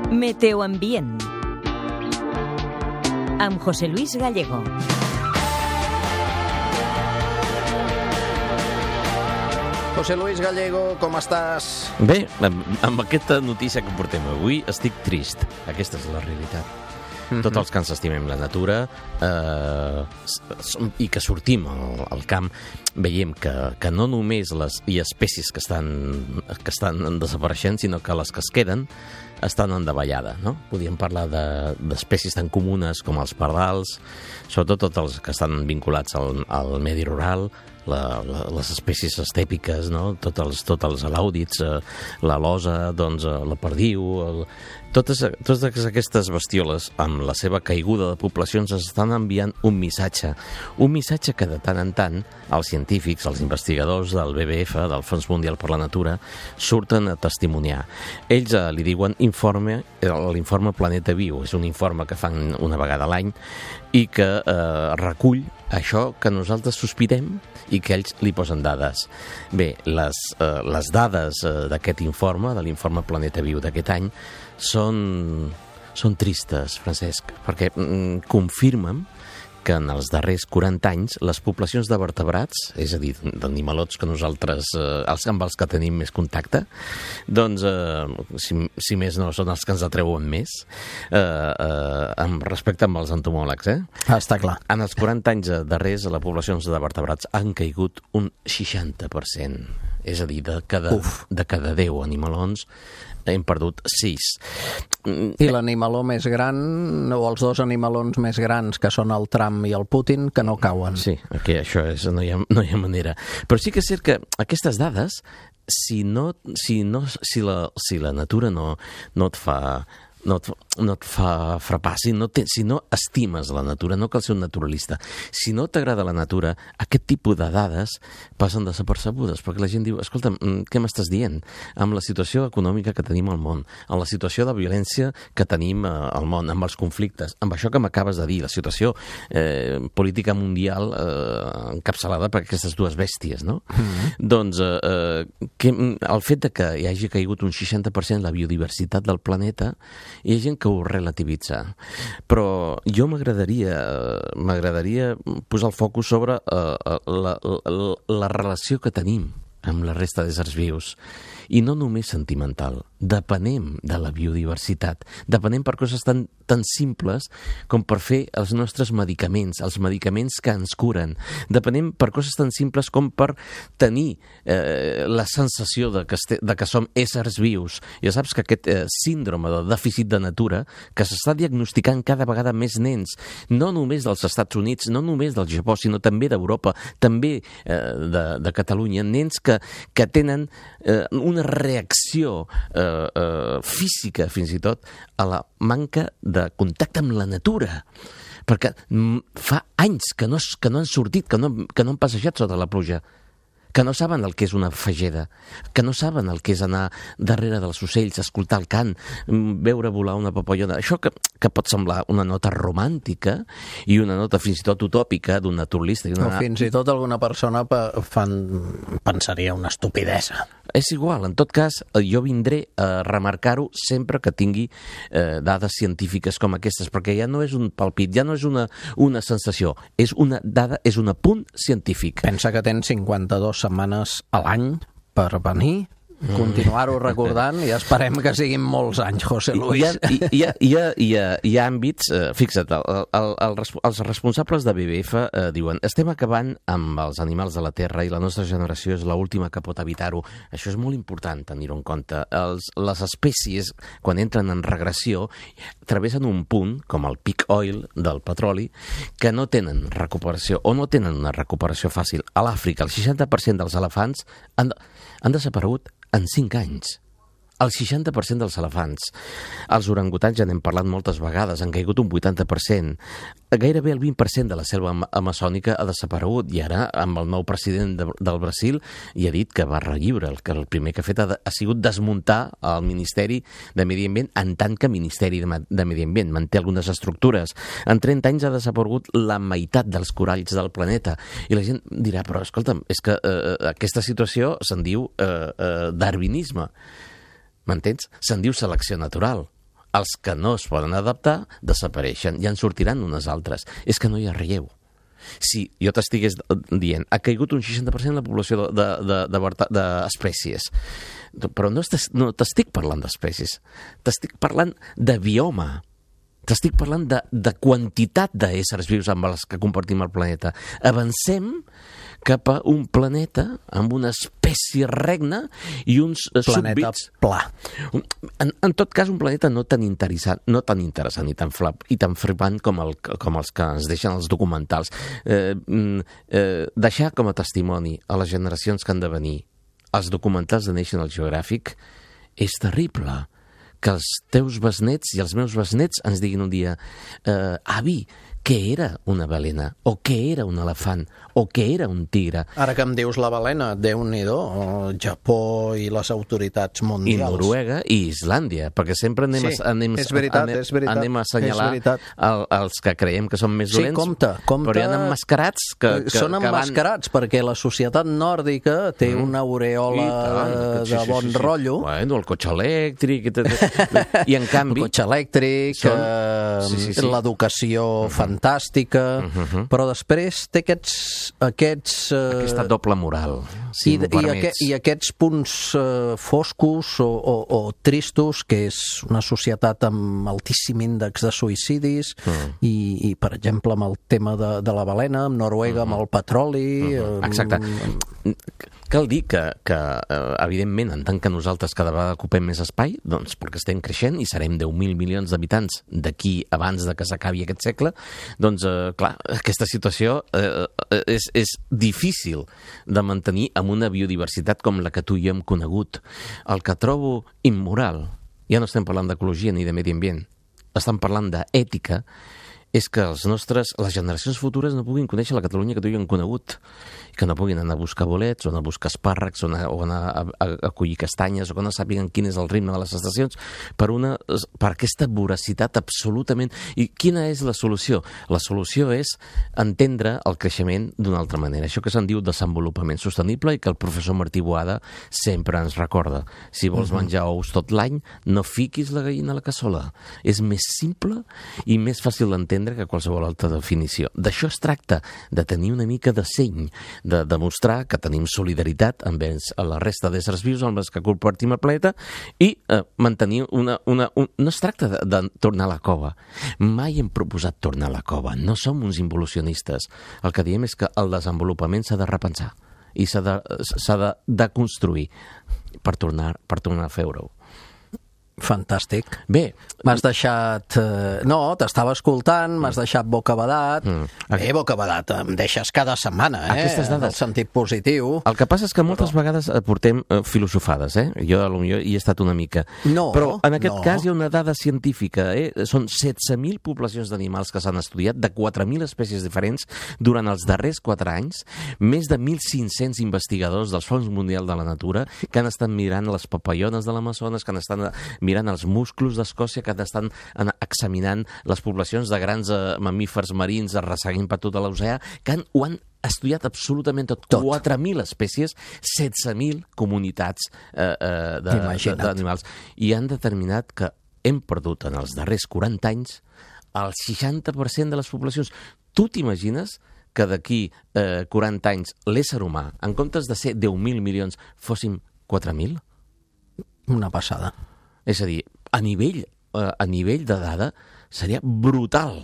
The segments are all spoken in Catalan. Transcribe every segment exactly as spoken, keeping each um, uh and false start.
Meteoambient amb José Luis Gallego. José Luis Gallego, com estàs? Bé, amb, amb aquesta notícia que portem avui estic trist. Aquesta és la realitat. Mm-hmm. Tots els que ens estimem la natura eh, i que sortim al, al camp veiem que, que no només les, hi ha espècies que estan, que estan desapareixent, sinó que les que es queden estan en davallada, no? Podríem parlar d'espècies de, tan comunes com els pardals, sobretot tots els que estan vinculats al, al medi rural, la, la, les espècies estèpiques, no? Tots els, tots els alàudids, eh, la losa, doncs, eh, la perdiu, el, totes, totes aquestes bestioles, amb la seva caiguda de poblacions, ens estan enviant un missatge. Un missatge que de tant en tant els científics, els investigadors del B B F, del Fons Mundial per la Natura, surten a testimoniar. Ells eh, li diuen informe, l'informe Planeta Viu. És un informe que fan una vegada a l'any i que eh, recull això que nosaltres sospitem i que ells li posen dades. Bé, les, eh, les dades eh, d'aquest informe, de l'informe Planeta Viu d'aquest any, són, són tristes, Francesc, perquè mm, confirmen que en els darrers quaranta anys les poblacions de vertebrats, és a dir, d'animalots que nosaltres, eh, els amb els que tenim més contacte, doncs, eh, si, si més no, són els que ens atreuen més, eh, eh, amb respecte amb els entomòlegs, eh? Ah, està clar. En els quaranta anys darrers, les poblacions de vertebrats han caigut un seixanta per cent. És a dir, de cada, de cada deu animalons hem perdut sis. I l'animaló més gran, o els dos animalons més grans, que són el Trump i el Putin, que no cauen. Sí, aquí això és, no hi ha, no hi ha manera. Però sí que és cert que aquestes dades, si, no, si, no, si, la, si la natura no, no et fa... no et, no et fa frapar, si no, te, si no estimes la natura, no cal ser un naturalista, si no t'agrada la natura, aquest tipus de dades passen desapercebudes, perquè la gent diu, escolta, què m'estàs dient? Amb la situació econòmica que tenim al món, amb la situació de violència que tenim al món, amb els conflictes, amb això que m'acabes de dir, la situació eh, política mundial eh, encapçalada per aquestes dues bèsties, no? Mm-hmm. Doncs eh, que, el fet de que hi hagi caigut un seixanta per cent la biodiversitat del planeta, hi ha gent que ho relativitza, però jo m'agradaria m'agradaria posar el focus sobre uh, la, la, la relació que tenim amb la resta d'éssers vius, i no només sentimental. Depenem de la biodiversitat, depenem per coses tan, tan simples com per fer els nostres medicaments, els medicaments que ens curen. Depenem per coses tan simples com per tenir eh, la sensació de que, este, de que som éssers vius. Ja saps que aquest eh, síndrome de dèficit de natura, que s'està diagnosticant cada vegada més nens, no només dels Estats Units, no només del Japó, sinó també d'Europa, també eh, de, de Catalunya, nens que, que tenen eh, una reacció eh, eh, física, fins i tot, a la manca de contacte amb la natura. Perquè fa anys que no, que no han sortit, que no, que no han passejat sota la pluja, que no saben el que és una fageda, que no saben el que és anar darrere dels ocells, escoltar el cant, veure volar una papallona. Això que, que pot semblar una nota romàntica i una nota fins i tot utòpica d'un naturalista. Una... O fins i tot alguna persona fan... pensaria una estupidesa. És igual, en tot cas, jo vindré a remarcar-ho sempre que tingui eh, dades científiques com aquestes, perquè ja no és un palpit, ja no és una, una sensació, és una dada, és un apunt científic. Pensa que tens cinquanta-dues setmanes a l'any per venir, continuar-ho recordant, i esperem que siguin molts anys, José Luis. Hi ha, hi ha, hi ha, hi ha, hi ha àmbits, eh, fixa't, el, el, el, els responsables de B B F eh, diuen, estem acabant amb els animals de la Terra i la nostra generació és l'última que pot evitar-ho. Això és molt important tenir-ho en compte. Els, les espècies, quan entren en regressió, travessen un punt, com el peak oil del petroli, que no tenen recuperació, o no tenen una recuperació fàcil. A l'Àfrica, el seixanta per cent dels elefants han, han desaparegut en cinc anys. El seixanta per cent dels elefants. Els orangutans, ja n'hem parlat moltes vegades, han caigut un vuitanta per cent. Gairebé el vint per cent de la selva amazònica ha desaparegut, i ara, amb el nou president de, del Brasil, hi ha dit que va relliure, que el primer que ha fet ha, ha sigut desmuntar el Ministeri de Medi Ambient en tant que Ministeri de, de Medi Ambient. Manté algunes estructures. En trenta anys ha desaparegut la meitat dels coralls del planeta. I la gent dirà, però escolta'm, és que eh, aquesta situació se'n diu eh, eh, darwinisme. M'entens? Se'n diu selecció natural. Els que no es poden adaptar desapareixen i en sortiran unes altres. És que no hi ha relleu. Si jo t'estigués dient ha caigut un seixanta per cent la població d'espècies, de, de, de, però no t'estic parlant d'espècies, t'estic parlant de bioma. T'estic parlant de, de quantitat d'éssers vius amb els que compartim el planeta. Avancem cap a un planeta amb una espècie regna i uns planeta súbdits... pla. En, en tot cas, un planeta no tan interessant, no tan interessant i tan, flap, i tan flipant com, el, com els que ens deixen els documentals. Eh, eh, deixar com a testimoni a les generacions que han de venir els documentals de National Geographic és terrible. Que els teus besnets i els meus besnets ens diguin un dia eh, avi, què era una balena? O què era un elefant? O què era un tigre? Ara que em dius la balena, Déu-n'hi-do, el Japó i les autoritats mundials. I Noruega i Islàndia, perquè sempre anem, sí, a, anem, és veritat, anem, és veritat, anem a assenyalar el, els que creiem que són més sí, dolents, compte, compte, però hi ha emmascarats que, que, són emmascarats, que van... perquè la societat nòrdica té mm. una aureola tant, de, sí, de bon sí, sí, sí. rotllo. Bueno, el cotxe elèctric... I, i en canvi... El cotxe elèctric, són... eh, sí, sí, sí. l'educació uh-huh. fantàstica, uh-huh. però després té aquests... aquests eh... aquesta doble moral, si I, i, aqu i aquests punts eh, foscos o, o, o tristos, que és una societat amb altíssim índex de suïcidis, uh-huh. i, i, per exemple, amb el tema de, de la balena, amb Noruega, uh-huh. amb el petroli... Uh-huh. Exacte. Amb... Cal dir que, que evidentment, en tant que nosaltres cada vegada ocupem més espai, doncs perquè estem creixent i serem deu mil milions d'habitants d'aquí abans de que s'acabi aquest segle, doncs, eh, clar, aquesta situació eh, és, és difícil de mantenir amb una biodiversitat com la que tu i jo hem conegut. El que trobo immoral, ja no estem parlant d'ecologia ni de medi ambient, estem parlant d'ètica, és que els nostres, les generacions futures no puguin conèixer la Catalunya que tu i jo hem conegut, i que no puguin anar a buscar bolets, o anar a buscar espàrrecs, o anar, o anar a, a, a collir castanyes, o que no sàpiguen quin és el ritme de les estacions, per, una, per aquesta voracitat absolutament... I quina és la solució? La solució és entendre el creixement d'una altra manera. Això que se'n diu desenvolupament sostenible i que el professor Martí Boada sempre ens recorda. Si vols uh-huh. menjar ous tot l'any, no fiquis la gallina a la cassola. És més simple i més fàcil d'entendre que qualsevol altra definició. D'això es tracta, de tenir una mica de seny, de demostrar que tenim solidaritat amb ells, a la resta d'éssers vius amb els que compartim el planeta i eh, mantenir una... una un... No es tracta de, de tornar a la cova. Mai hem proposat tornar a la cova. No som uns involucionistes. El que diem és que el desenvolupament s'ha de repensar i s'ha de, s'ha de, de construir per tornar, per tornar a fer-ho. Fantàstic. Bé, m'has deixat... Eh, no, t'estava escoltant, m'has deixat bocabadat. Mm. Bé, bocabadat, em deixes cada setmana, eh? Aquestes dades. En el sentit positiu. El que passa és que moltes però... vegades portem eh, filosofades, eh? Jo potser hi he estat una mica. No, però en aquest no. cas hi ha una dada científica, eh? Són setze mil poblacions d'animals que s'han estudiat, de quatre mil espècies diferents, durant els darrers quatre anys, més de mil cinc-cents investigadors del Fons Mundial de la Natura que han estat mirant les papallones de l'Amazones, que han estat mirant els musclos d'Escòcia, que estan examinant les poblacions de grans eh, mamífers marins arrasseguint per tot l'oceà, que han, ho han estudiat absolutament tot. tot. quatre mil espècies, setze mil comunitats eh, eh, d'animals. I han determinat que hem perdut en els darrers quaranta anys el seixanta per cent de les poblacions. Tu t'imagines que d'aquí eh, quaranta anys l'ésser humà, en comptes de ser deu mil milions, fóssim quatre mil? Una passada. És a dir, a nivell, a nivell de dada seria brutal.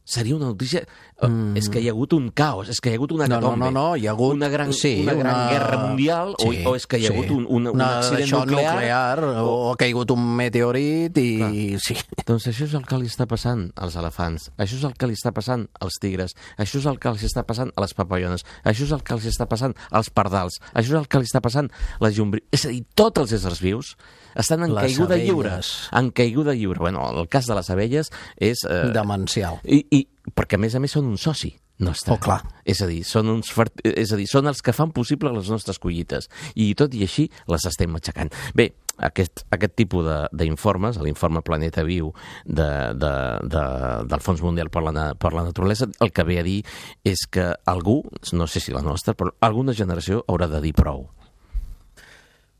Seria una notícia... Mm. És que hi ha hagut un caos, és que hi ha hagut una hecatombe. No, no, no, hi ha hagut... Una gran, sí, una gran una... guerra mundial, sí, o, o és que hi ha sí. hagut un, un, un accident nuclear... nuclear o... o ha caigut un meteorit i... Clar. Sí. Doncs això és el que li està passant als elefants, això és el que li està passant als tigres, això és el que els està passant a les papallones, això és el que els està passant als pardals, això és el que li està passant a les llombrius. És a dir, tots els éssers vius estan en les caiguda abelles. lliure. En caiguda lliure. Bueno, el cas de les abelles és... Eh, demencial. I, i perquè, a més a més, són un soci nostre. Oh, clar. És a dir, són uns fert... és a dir, són els que fan possible les nostres collites. I tot i així les estem matxacant. Bé, aquest, aquest tipus d'informes, l'informe Planeta Viu de, de, de, del Fons Mundial per la, per la Naturalesa, el que ve a dir és que algú, no sé si la nostra, però alguna generació haurà de dir prou.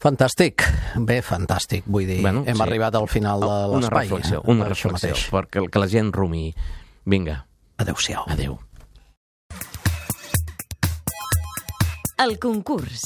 Fantàstic, bé, fantàstic, vull dir, Bueno, hem sí. arribat al final de Una l'espai. reflexió, eh, una per això reflexió, mateix. perquè que la gent rumiï. Vinga, Adéu-siau. adéu. El concurs.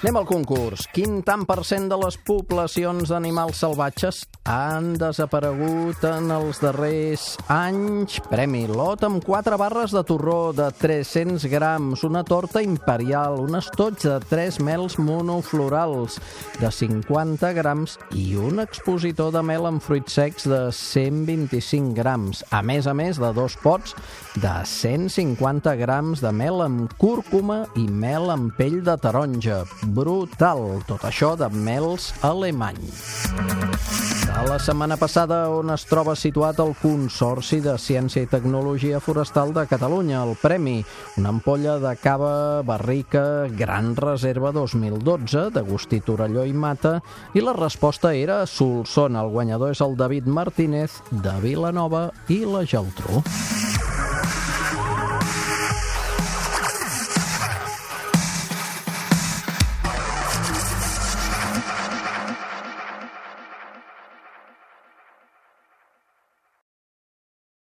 Anem al concurs. Quin tant per cent de les poblacions d'animals salvatges han desaparegut en els darrers anys? Premi Lot amb quatre barres de torró de tres-cents grams, una torta imperial, un estoig de tres mels monoflorals de cinquanta grams i un expositor de mel amb fruits secs de cent vint-i-cinc grams, a més a més de dos pots de cent cinquanta grams de mel amb cúrcuma i mel amb pell de taronja. Brutal, tot això de mels alemany. De la setmana passada, on es troba situat el Consorci de Ciència i Tecnologia Forestal de Catalunya, el premi, una ampolla de cava barrica Gran Reserva dos mil dotze, d'Agustí Torelló i Mata, i la resposta era Solsona. El guanyador és el David Martínez, de Vilanova i la Geltrú.